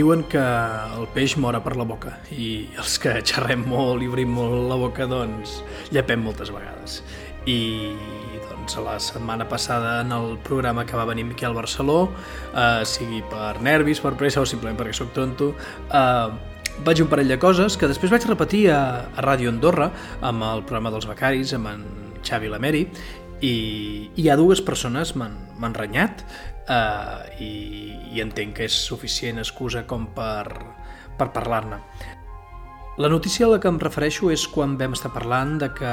Diuen que el peix mora per la boca i els que xerrem molt i obrim molt la boca, doncs llepem moltes vegades. I doncs la setmana passada en el programa que va venir Miquel Barceló, sigui per nervis, per pressa o simplement perquè sóc tonto, vaig dir un parell de coses que després vaig repetir a Ràdio Andorra amb el programa dels becaris, amb en Xavi Lameri, i hi ha dues persones m'han renyat, i entenc que és suficient excusa com per parlar-ne. La notícia a la que em refereixo és quan vam estar parlant de que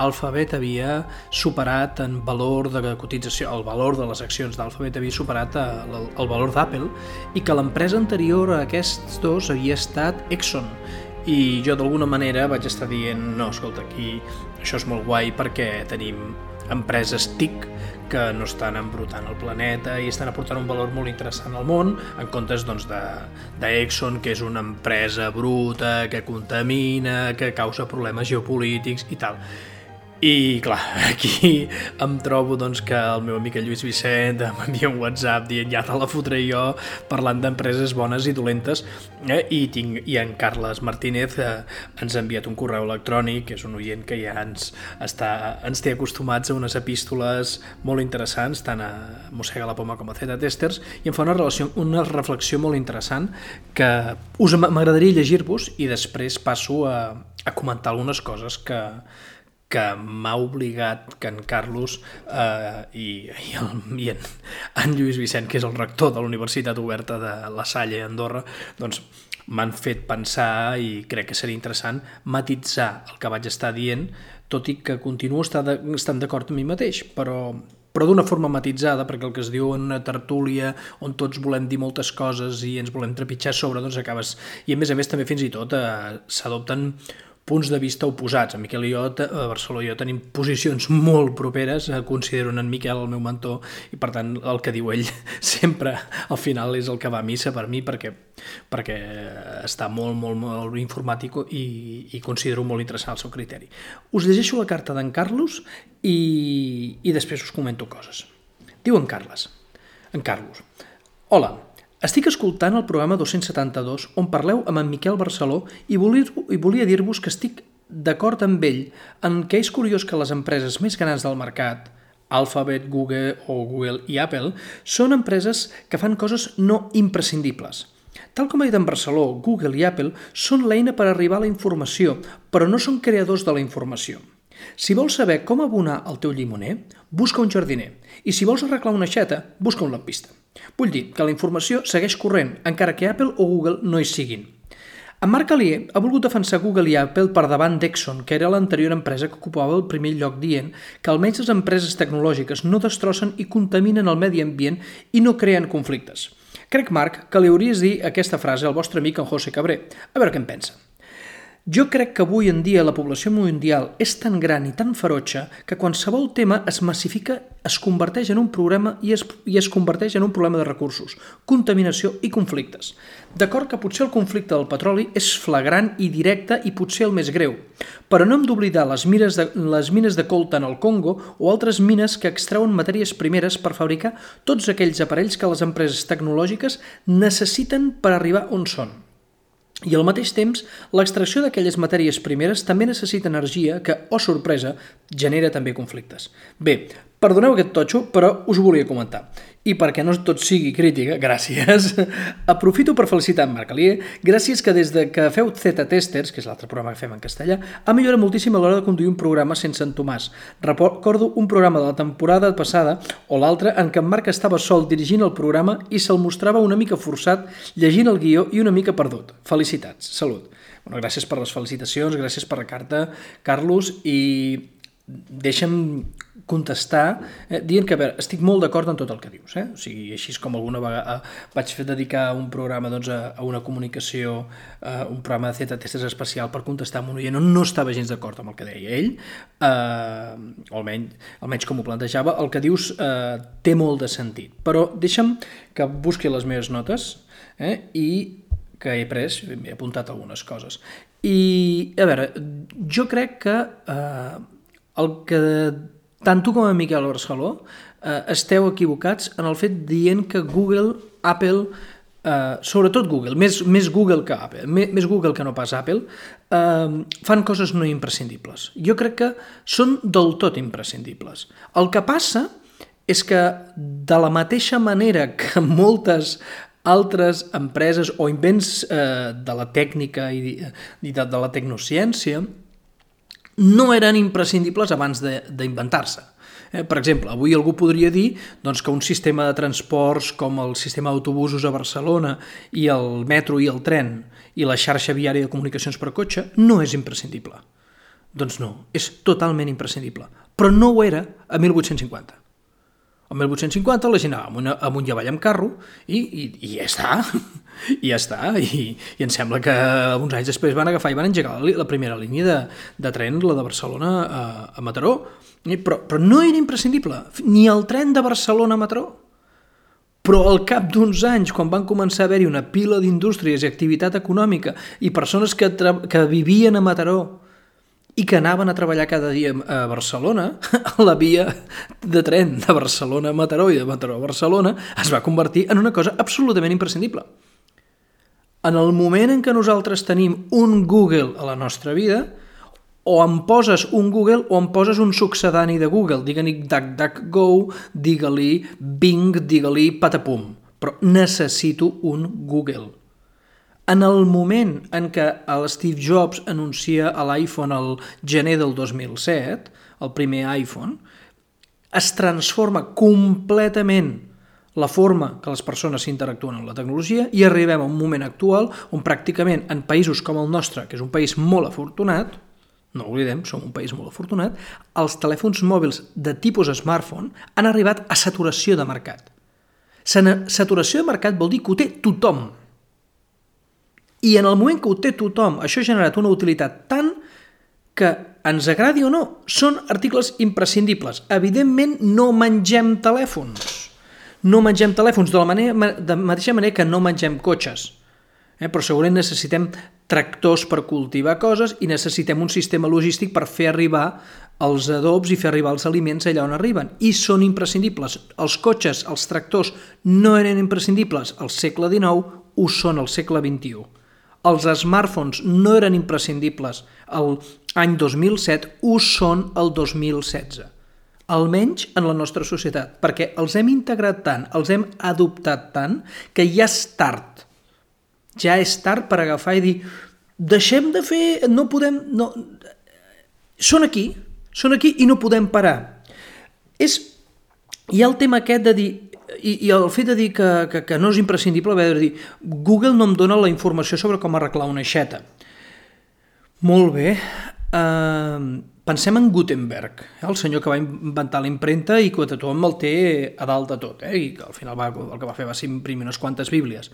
Alphabet havia superat en valor de cotització, el valor de les accions d'Alphabet havia superat el valor d'Apple i que l'empresa anterior a aquests dos havia estat Exxon. I jo d'alguna manera vaig estar dient, no, escolta, aquí això és molt guai perquè tenim empreses TIC que no estan embrutant el planeta i estan aportant un valor molt interessant al món, en comptes doncs, d'Exxon, que és una empresa bruta, que contamina, que causa problemes geopolítics i tal. I clar, aquí em trobo doncs, que el meu amic Lluís Vicent m'envia un WhatsApp dient ja te la fotré jo, parlant d'empreses bones i dolentes, i en Carles Martínez ens ha enviat un correu electrònic, que és un oient que ja ens té acostumats a unes epístoles molt interessants, tant a Mossega la Poma com a Z Testers, i em fa una reflexió molt interessant que m'agradaria llegir-vos i després passo a comentar algunes coses que m'ha obligat que en Carlos i en Lluís Vicent, que és el rector de la Universitat Oberta de La Salle a Andorra, doncs m'han fet pensar i crec que seria interessant matitzar el que vaig estar dient, tot i que continuo estant d'acord amb mi mateix, però d'una forma matitzada, perquè el que es diu en una tertúlia on tots volem dir moltes coses i ens volem trepitjar sobre, doncs acabes... I a més també fins i tot s'adopten punts de vista oposats. En Miquel i jo, a Barcelona i jo, tenim posicions molt properes, considero en Miquel el meu mentor, i per tant el que diu ell sempre al final és el que va a missa per mi, perquè està molt informat i considero molt interessant el seu criteri. Us llegeixo la carta d'en Carlos i després us comento coses. Diu en Carlos: Hola, estic escoltant el programa 272 on parleu amb en Miquel Barceló i volia dir-vos que estic d'acord amb ell en què és curiós que les empreses més grans del mercat, Alphabet, Google i Apple, són empreses que fan coses no imprescindibles. Tal com ha dit en Barceló, Google i Apple són l'eina per arribar a la informació, però no són creadors de la informació. Si vols saber com abonar el teu llimoner, busca un jardiner, i si vols arreglar una aixeta, busca un lampista. Vull dir que la informació segueix corrent, encara que Apple o Google no hi siguin. En Marc Alier ha volgut defensar Google i Apple per davant d'Exxon, que era l'anterior empresa que ocupava el primer lloc, dient que almenys les empreses tecnològiques no destrossen i contaminen el medi ambient i no creen conflictes. Crec, Marc, que li hauries de dir aquesta frase al vostre amic en José Cabré. A veure què en pensa. Jo crec que avui en dia la població mundial és tan gran i tan ferotge que qualsevol tema es massifica, es converteix en un problema i es converteix en un problema de recursos, contaminació i conflictes. D'acord que potser el conflicte del petroli és flagrant i directe i potser el més greu, però no hem d'oblidar les mines de coltan al Congo o altres mines que extreuen matèries primeres per fabricar tots aquells aparells que les empreses tecnològiques necessiten per arribar on són. I al mateix temps, l'extracció d'aquelles matèries primeres també necessita energia que, oh sorpresa, genera també conflictes. Bé, perdoneu aquest totxo, però us ho volia comentar. I perquè no tot sigui crítica, gràcies, aprofito per felicitar en Marc Alier, gràcies que des de que feu Z Testers, que és l'altre programa que fem en castellà, ha millorat moltíssim a l'hora de conduir un programa sense en Tomàs. Recordo un programa de la temporada passada o l'altra en què en Marc estava sol dirigint el programa i se'l mostrava una mica forçat llegint el guió i una mica perdut. Felicitats, salut. Bueno, gràcies per les felicitacions, gràcies per la carta, Carlos, i deixa'm contestar dient que, a veure, estic molt d'acord en tot el que dius. O sigui, així com alguna vegada vaig dedicar un programa doncs, a una comunicació, un programa de Z Testers especial per contestar amb un oient on no estava gens d'acord amb el que deia ell, o almenys com ho plantejava. El que dius té molt de sentit, però deixa'm que busqui les meves notes i que he pres, m'he apuntat algunes coses. I, a veure, jo crec que el que tant tu com a Miquel Barceló esteu equivocats en el fet dient que Google, Apple sobretot Google, més Google que Apple, més Google que no pas Apple, fan coses no imprescindibles. Jo crec que són del tot imprescindibles. El que passa és que de la mateixa manera que moltes altres empreses o invents de la tècnica i de la tecnociència no eren imprescindibles abans d'inventar-se. Per exemple, avui algú podria dir que un sistema de transports com el sistema d'autobusos a Barcelona i el metro i el tren i la xarxa viària de comunicacions per cotxe no és imprescindible. Doncs no, és totalment imprescindible. Però no ho era a 1850. A 1850 la gent anava amunt i avall amb carro i ja està. I ja està. I em sembla que uns anys després van agafar i van engegar la primera línia de tren, la de Barcelona a Mataró. Però no era imprescindible, ni el tren de Barcelona a Mataró. Però al cap d'uns anys, quan van començar a haver-hi una pila d'indústries i activitat econòmica i persones que vivien a Mataró i que anaven a treballar cada dia a Barcelona, la via de tren de Barcelona a Mataró i de Mataró a Barcelona es va convertir en una cosa absolutament imprescindible. En el moment en què nosaltres tenim un Google a la nostra vida, o em poses un Google o em poses un succedani de Google, digue-li DuckDuckGo, digue-li Bing, digue-li patapum, però necessito un Google. En el moment en què l'Steve Jobs anuncia l'iPhone al gener del 2007, el primer iPhone, es transforma completament la forma que les persones s'interactuen amb la tecnologia i arribem a un moment actual on pràcticament en països com el nostre, que és un país molt afortunat, no ho oblidem, som un país molt afortunat, els telèfons mòbils de tipus smartphone han arribat a saturació de mercat. Saturació de mercat vol dir que ho té tothom. I en el moment que ho té tothom, això ha generat una utilitat tant que, ens agradi o no, són articles imprescindibles. Evidentment, no mengem telèfons. No mengem telèfons de la mateixa manera que no mengem cotxes. Però segurament necessitem tractors per cultivar coses i necessitem un sistema logístic per fer arribar els adobs i fer arribar els aliments allà on arriben. I són imprescindibles. Els cotxes, els tractors no eren imprescindibles al segle XIX, ho són al segle XXI. Els smartphones no eren imprescindibles l'any 2007, ho són el 2016. Almenys en la nostra societat, perquè els hem integrat tant, els hem adoptat tant, que ja és tard. Ja és tard per agafar i dir deixem de fer, no podem... No. Són aquí i no podem parar. Hi ha el tema aquest de dir, i el fet de dir que no és imprescindible haver de dir Google no em dona la informació sobre com arreglar una aixeta. Molt bé, pensem en Gutenberg, el senyor que va inventar la impremta i que tothom el té a dalt de tot, i que al final el que va fer va ser imprimir unes quantes bíblies.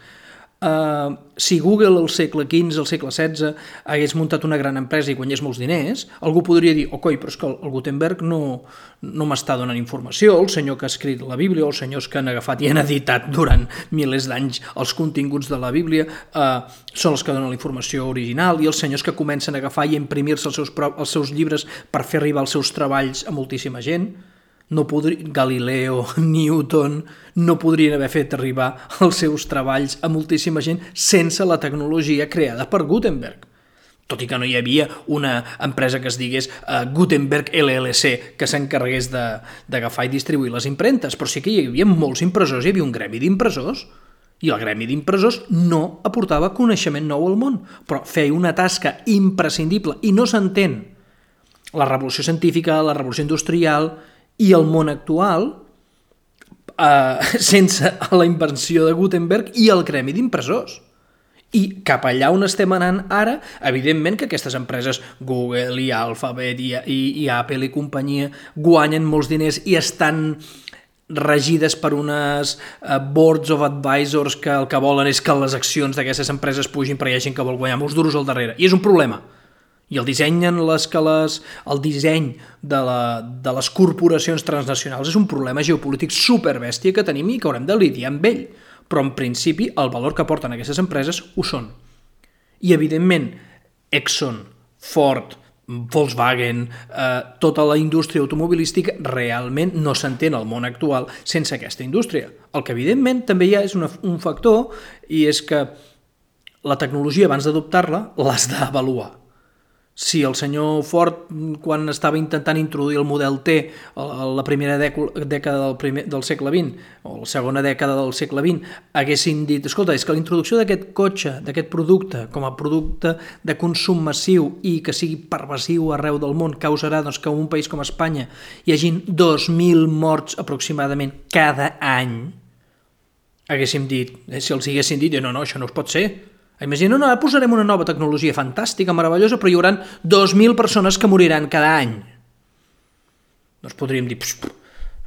Si Google al segle XV, al segle XVI hagués muntat una gran empresa i guanyés molts diners, algú podria dir, coi, però és que el Gutenberg no m'està donant informació, el senyor que ha escrit la Bíblia o els senyors que han agafat i han editat durant milers d'anys els continguts de la Bíblia són els que donen la informació original i els senyors que comencen a agafar i a imprimir-se els seus llibres per fer arribar els seus treballs a moltíssima gent. Galileo, Newton no podrien haver fet arribar els seus treballs a moltíssima gent sense la tecnologia creada per Gutenberg. Tot i que no hi havia una empresa que es digués Gutenberg LLC que s'encarregués d'agafar i distribuir les impremtes, però sí que hi havia molts impressors, hi havia un gremi d'impressors i el gremi d'impressors no aportava coneixement nou al món, però feia una tasca imprescindible i no s'entén la revolució científica, la revolució industrial i el món actual sense la invenció de Gutenberg i el gremi d'impressors. I cap allà on estem anant ara, evidentment que aquestes empreses, Google i Alphabet i Apple i companyia, guanyen molts diners i estan regides per unes boards of advisors que el que volen és que les accions d'aquestes empreses pugin perquè hi ha gent que vol guanyar molts duros al darrere. I és un problema. I el disseny de les corporacions transnacionals és un problema geopolític superbèstia que tenim i que haurem de lidiar amb ell. Però en principi el valor que aporten aquestes empreses ho són. I evidentment Exxon, Ford, Volkswagen, tota la indústria automobilística realment no s'entén al món actual sense aquesta indústria. El que evidentment també hi ha és un factor, i és que la tecnologia abans d'adoptar-la l'has d'avaluar. Si el senyor Ford, quan estava intentant introduir el model T a la primera dècada del segle XX, o la segona dècada del segle XX, haguessin dit, escolta, és que la introducció d'aquest cotxe, d'aquest producte, com a producte de consum massiu i que sigui pervasiu arreu del món, causarà doncs, que en un país com Espanya hi hagin 2.000 morts aproximadament cada any, haguéssim dit, si els haguessin dit, no, això no es pot ser. Imagina, no, ara posarem una nova tecnologia fantàstica, meravellosa, però hi haurà 2.000 persones que moriran cada any. Doncs podríem dir,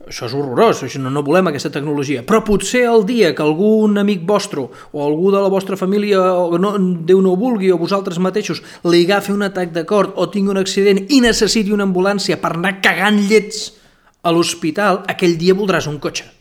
això és horrorós, no volem aquesta tecnologia. Però potser el dia que algun amic vostre o algú de la vostra família, Déu no ho vulgui, o vosaltres mateixos, li agafi un atac de cor o tingui un accident i necessiti una ambulància per anar cagant llets a l'hospital, aquell dia voldràs un cotxe.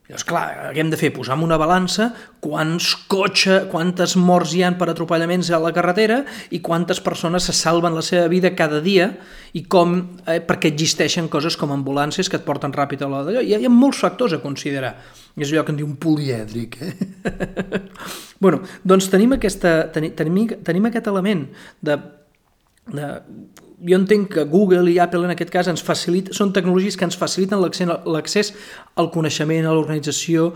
Llavors, clar, què hem de fer? Posar en una balança quantes morts hi ha per atropellaments a la carretera i quantes persones se salven la seva vida cada dia i com, perquè existeixen coses com ambulàncies que et porten ràpid a l'hora d'allò. Hi ha molts factors a considerar. És allò que en diu un polièdric. Bueno, doncs tenim aquest element de jo entenc que Google i Apple en aquest cas són tecnologies que ens faciliten l'accés al coneixement, a l'organització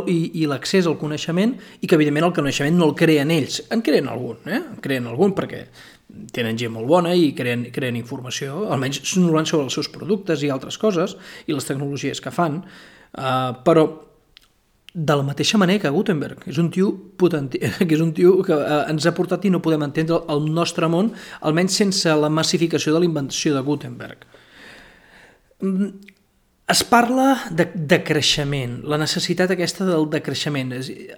i l'accés al coneixement, i que evidentment el coneixement no el creen ells, en creen algun perquè tenen gent molt bona i creen informació, almenys normalment sobre els seus productes i altres coses i les tecnologies que fan, però de la mateixa manera que Gutenberg, que és un tio que ens ha portat i no podem entendre el nostre món, almenys sense la massificació de la invenció de Gutenberg. Es parla de creixement, la necessitat aquesta del decreixement.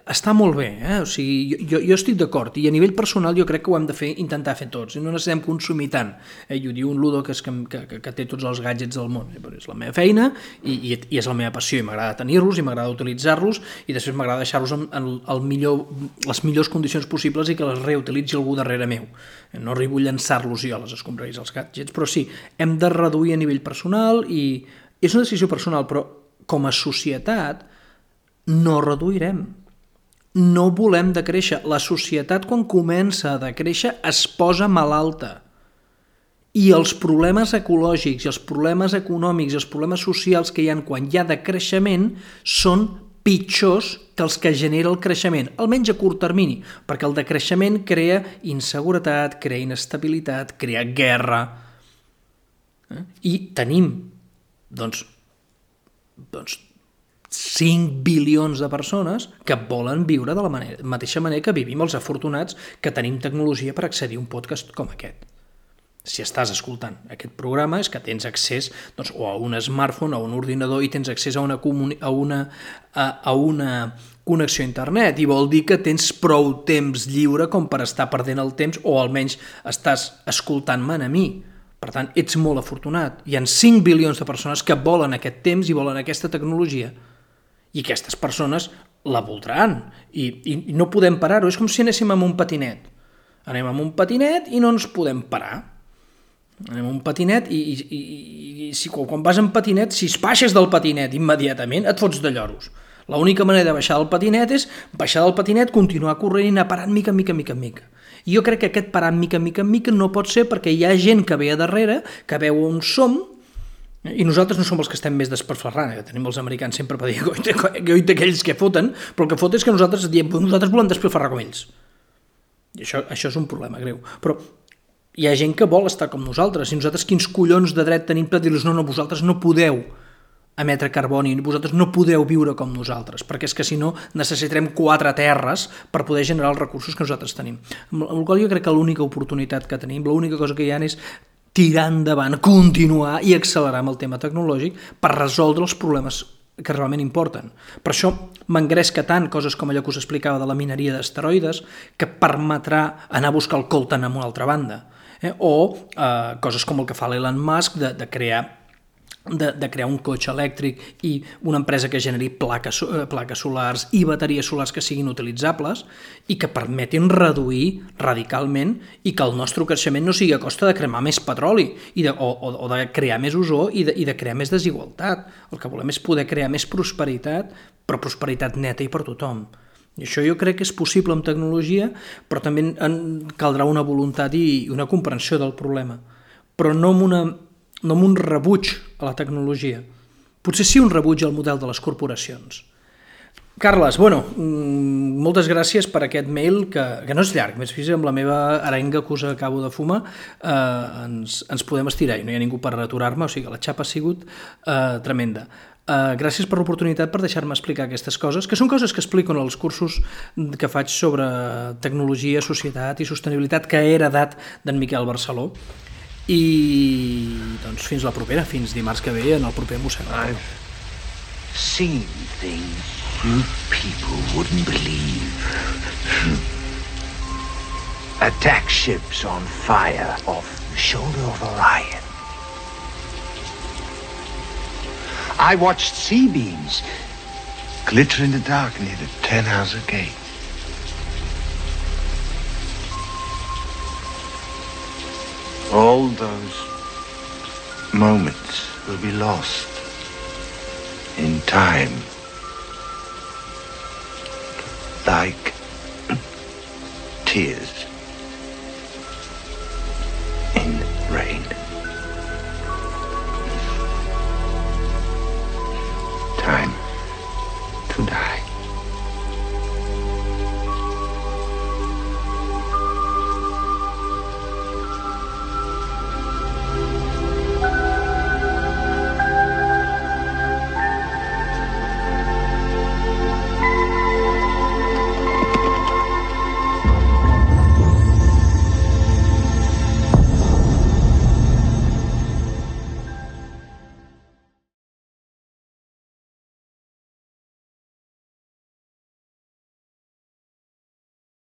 Està molt bé, o sigui, jo estic d'acord, i a nivell personal jo crec que ho hem de intentar fer tots, i no necessitem consumir tant. I ho diu un Ludo que té tots els gadgets del món. És la meva feina i és la meva passió, i m'agrada tenir-los, i m'agrada utilitzar-los, i després m'agrada deixar-los en les millors condicions possibles i que les reutilitzi algú darrere meu. No arribo a llançar-los jo a les escombraries, els gadgets, però sí, hem de reduir a nivell personal i és una decisió personal, però com a societat no reduirem. No volem decréixer. La societat, quan comença a decréixer, es posa malalta. I els problemes ecològics, i els problemes econòmics, i els problemes socials que hi ha quan hi ha decreixement són pitjors que els que genera el creixement, almenys a curt termini, perquè el decreixement crea inseguretat, crea inestabilitat, crea guerra. I tenim doncs 5 bilions de persones que volen viure de la mateixa manera que vivim els afortunats que tenim tecnologia per accedir a un podcast com aquest. Si estàs escoltant aquest programa és que tens accés o a un smartphone o a un ordinador i tens accés a una connexió a internet, i vol dir que tens prou temps lliure com per estar perdent el temps, o almenys estàs escoltant-me a mi. Per tant, ets molt afortunat. Hi ha 5 bilions de persones que volen aquest temps i volen aquesta tecnologia. I aquestes persones la voldran. I no podem parar-ho. És com si anéssim amb un patinet. Anem amb un patinet i no ens podem parar. Anem amb un patinet i quan vas en patinet, si es baixes del patinet immediatament, et fots de lloros. L'única manera de baixar del patinet és baixar del patinet, continuar corrent i anar parant mica en mica. I jo crec que aquest parar mica en mica no pot ser, perquè hi ha gent que ve a darrere, que veu on som, i nosaltres no som els que estem més desperferrant, que tenim els americans sempre per dir goita aquells que foten, però el que fot és que nosaltres volem desperferrar com ells. I això és un problema greu. Però hi ha gent que vol estar com nosaltres, i nosaltres quins collons de dret tenim per dir-los no, vosaltres no podeu emetre carboni, vosaltres no podeu viure com nosaltres, perquè és que si no necessitarem 4 terres per poder generar els recursos que nosaltres tenim. Amb la qual jo crec que l'única oportunitat que tenim, l'única cosa que hi ha és tirar endavant, continuar i accelerar amb el tema tecnològic per resoldre els problemes que realment importen. Per això m'engresca tant coses com allò que us explicava de la mineria d'asteroides, que permetrà anar a buscar el coltan en una altra banda, o coses com el que fa l'Elon Musk de crear de crear un cotxe elèctric i una empresa que generi plaques solars i bateries solars que siguin utilitzables i que permetin reduir radicalment i que el nostre creixement no sigui a costa de cremar més petroli o de crear més ozó i de crear més desigualtat. El que volem és poder crear més prosperitat, però prosperitat neta i per tothom. I això jo crec que és possible amb tecnologia, però també caldrà una voluntat i una comprensió del problema. Però no amb un rebuig a la tecnologia. Potser sí un rebuig al model de les corporacions. Carles, moltes gràcies per aquest mail, que no és llarg, més fins amb la meva arenga que us acabo de fumar, ens podem estirar i no hi ha ningú per aturar-me, o sigui que la xapa ha sigut tremenda. Gràcies per l'oportunitat per deixar-me explicar aquestes coses, que són coses que explico en els cursos que faig sobre tecnologia, societat i sostenibilitat que he heredat d'en Miquel Barceló. I doncs fins la propera, fins dimarts que ve en el proper Mossèn. I've seen things you people wouldn't believe. Attack ships on fire off the shoulder of Orion. I watched sea beams glitter in the dark near the Tannhauser Gate. All those moments will be lost in time, like tears.